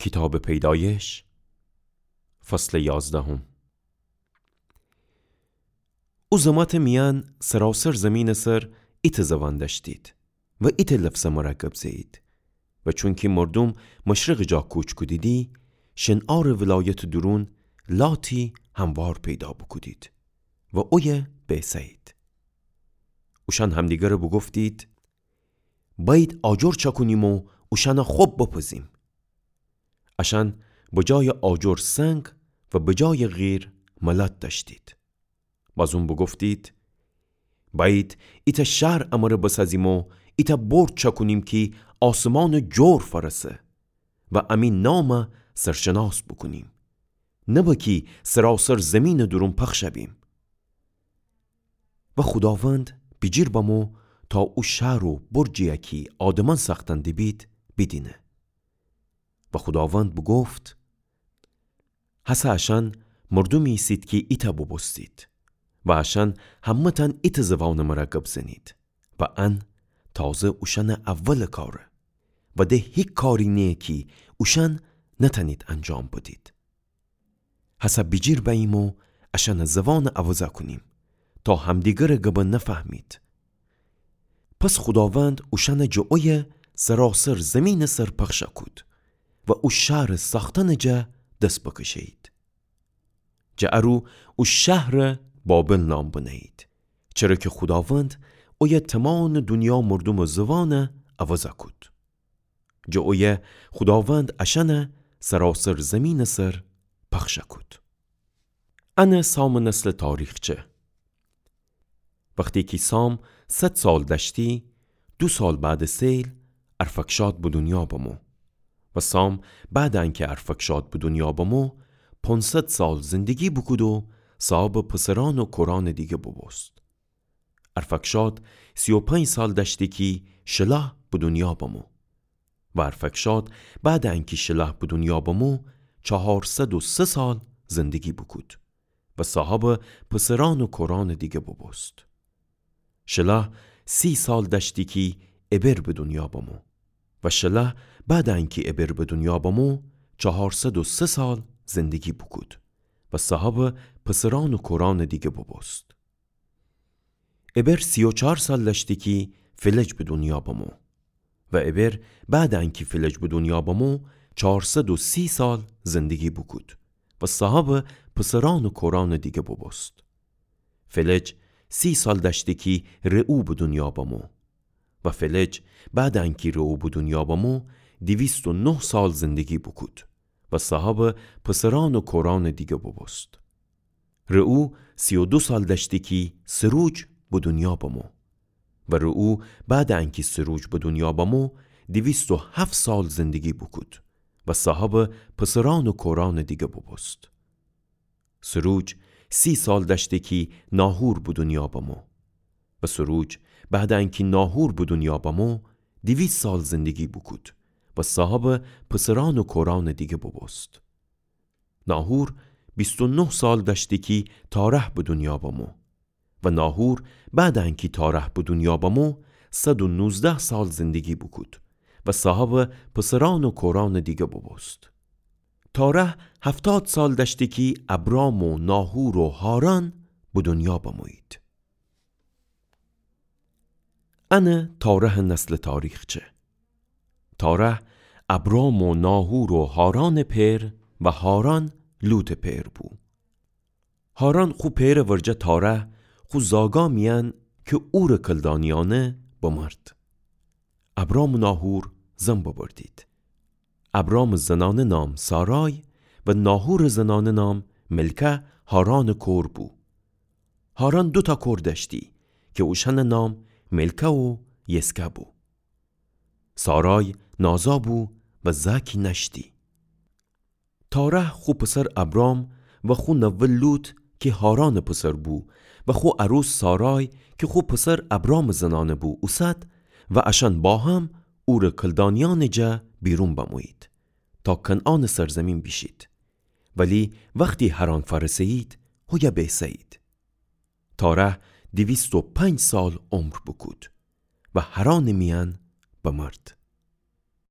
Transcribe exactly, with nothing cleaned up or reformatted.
کیتابٚ پیدایش، فصلٚ یازدهم. او زماتٚ میأن سراسر زیمینٚ سر ایتأ زوان دأشتید و ایتأ لفظٚ مرا گب زهیید. و چونکی مردوم مشرقٚ جا کوچ کودیدی، شنعارٚ ولایتٚ دورون لاتی هموار پیدا بوکودید و اویه بیسهیید. اوشأن همدیگره بوگفتید: بأیید آجر چأکونیم و اوشأنا خب بپزیم. اشأن بجایٚ آجر سنگ و بجایٚ قیر ملات دأشتید. بازون بوگفتید: بأیید ایتأ شهر امره بسازیم و ایتأ برج چأکونیم کی آسمانٚ جور فأرسه و امی نام سرشناس بوکونیم، نه بأ کی سراسر زیمینٚ دورون پخش بیم. و خوداوند بیجیر بمو تا او شهر و برجی‌یی کی آدمأن ساختن دیبید بیدینه. و خوداوند بوگفت: هسه اشأن مردومی ایسید کی ایتأ بوبوستید و اشأن همه‌تأن ایتأ زوانٚ مرا گب زنید و ان تازه اوشأنٚ اولٚ کاره و ده هیک کاری نییه کی اوشأن نتأنید انجام بدید. هسه بیجیر بأییم و اشأنٚ زوانٚ عوض کونیم تا همدیگرٚ گبٚ نفهمید. پس خوداوند اوشأنٚ جٚه اویه سراسر زیمینٚ سر پخش کود و او شهرٚ ساختنٚ جا دس بکشهیید. جٚه ا رو او شهرٚ بابل نام بنهیید، چره کی خوداوند اویه تومانٚ دونیا مردومٚ زوان عوض کود. جٚه اویه خوداوند اشأن سراسر زیمینٚ سر پخش کود. انه سامٚ نسلٚ تاریخچه. وختی کی سام صد سال دأشتی، دو سال بعدٚ سیل ارفکشاد به دونیا بمو. و سام بعدٚ انکی ارفکشاد به دونیا بمو، پونصد سال زندگی بوکود و صاحبٚ پسرأن و کورأنٚ دیگه بوبوست. ارفکشاد سی و پنج سال دأشتی کی شلح به دونیا بمو. و ارفکشاد بعدٚ انکی شلح به دونیا بمو، چهارصد و سه سال زندگی بوکود و صاحبٚ پسرأن و کورأنٚ دیگه بوبوست. شلح سی سال دأشتی کی ابر به دونیا بمو. و شلح بعدٚ انکی ابر به دونیا بمو، چهارصد و سه سال زندگی بوکود و صاحبٚ پسرأن و کورأنٚ دیگه بوبوست. ابر سی و چهار سال دأشتی کی فلج به دونیا بمو. و ابر بعدٚ انکی فلج به دونیا بمو، چهارصد و سی سال زندگی بوکود و صاحبٚ پسرأن و کورأنٚ دیگه بوبوست. فلج سی سال دأشتی کی رعو به دونیا بمو. و فلج بعدٚ انکی رعو به دونیا بمو، دویست و نه سال زندگی بوکود و صاحبٚ پسرأن و کورأنٚ دیگه بوبوست. رعو سی و دو سال دأشتی کی سروج به دونیا بمو. و رعو بعدٚ انکی سروج به دونیا بمو، دویست و هفت سال زندگی بوکود و صاحبٚ پسرأن و کورأنٚ دیگه بوبوست. سروج سی سال دأشتی کی ناحور به دونیا بمو. و سروج بعدٚ انکی ناحور به دونیا بمو، دویست سال زندگی بوکود و صاحبٚ پسرأن و کورأنٚ دیگه بوبوست. ناحور بیست و نه سال دأشتی کی تارح به دونیا بمو. و ناحور بعدٚ انکی تارح به دونیا بمو، صد و نوزده سال زندگی بوکود و صاحبٚ پسرأن و کورأنٚ دیگه بوبوست. تارح هفتاد سال دأشتی کی ابرام و ناحور و حاران به دونیا بمویید. انه تارحٚ نسلٚ تاریخچه. تارح ابرام و ناحور و حارانٚ پئر و حاران لوطٚ پئر بو. حاران خو پئرٚ ورجه تارح خو زاگا میأن کی عورٚ کلدانیأنه بمرد. ابرام و ناحور زن ببردید. ابرامٚ زنأنه نام سارای و ناحورٚ زنأنه نام ملکه حارانٚ کور بو. حاران دوتأ کور دأشتی کی اوشأنٚ نام ملکه و یسکه بو. سارای نازا بو و زأکی نأشتی. تارح خو پسر ابرام و خو نوه لوط کی حارانٚ پسر بو و خو عروس سارای کی خو پسر ابرامٚ زنأنه بو اوسد و اشأن با هم عورٚ کلدانیأنٚ جا بیرون بمویید تا کنعانٚ سرزمین بیشید. ولی وختی حران فأرسهیید، هویه بیسهیید. تارح دویست و پنج سال عمر بوکود و حرانٚ میأن بمرد.